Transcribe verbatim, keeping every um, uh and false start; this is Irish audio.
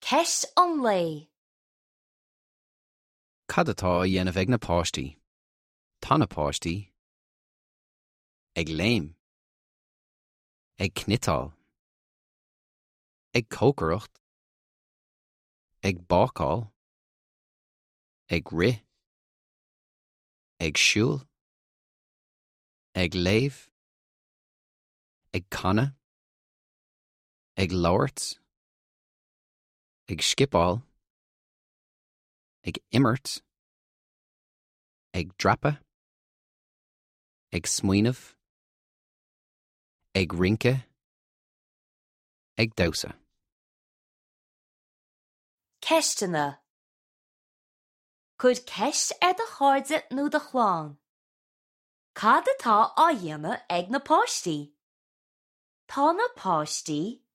Ceist an lae. Cad atá á dhéanamh ag na páistí? Tá na páistí ag léim, ag cniotáil, ag cócaireacht, ag bácáil, ag rith, ag siúl, ag léamh, ag canadh, ag labhairt, ag scipeáil, ag imirt, ag dreapadh, ag smaoineamh, ag rince, ag damhsa. Ceisteanna. Cuir ceist ar do chairde nó do chlann. Cad atá á dhéanamh ag na páistí? Tá na páistí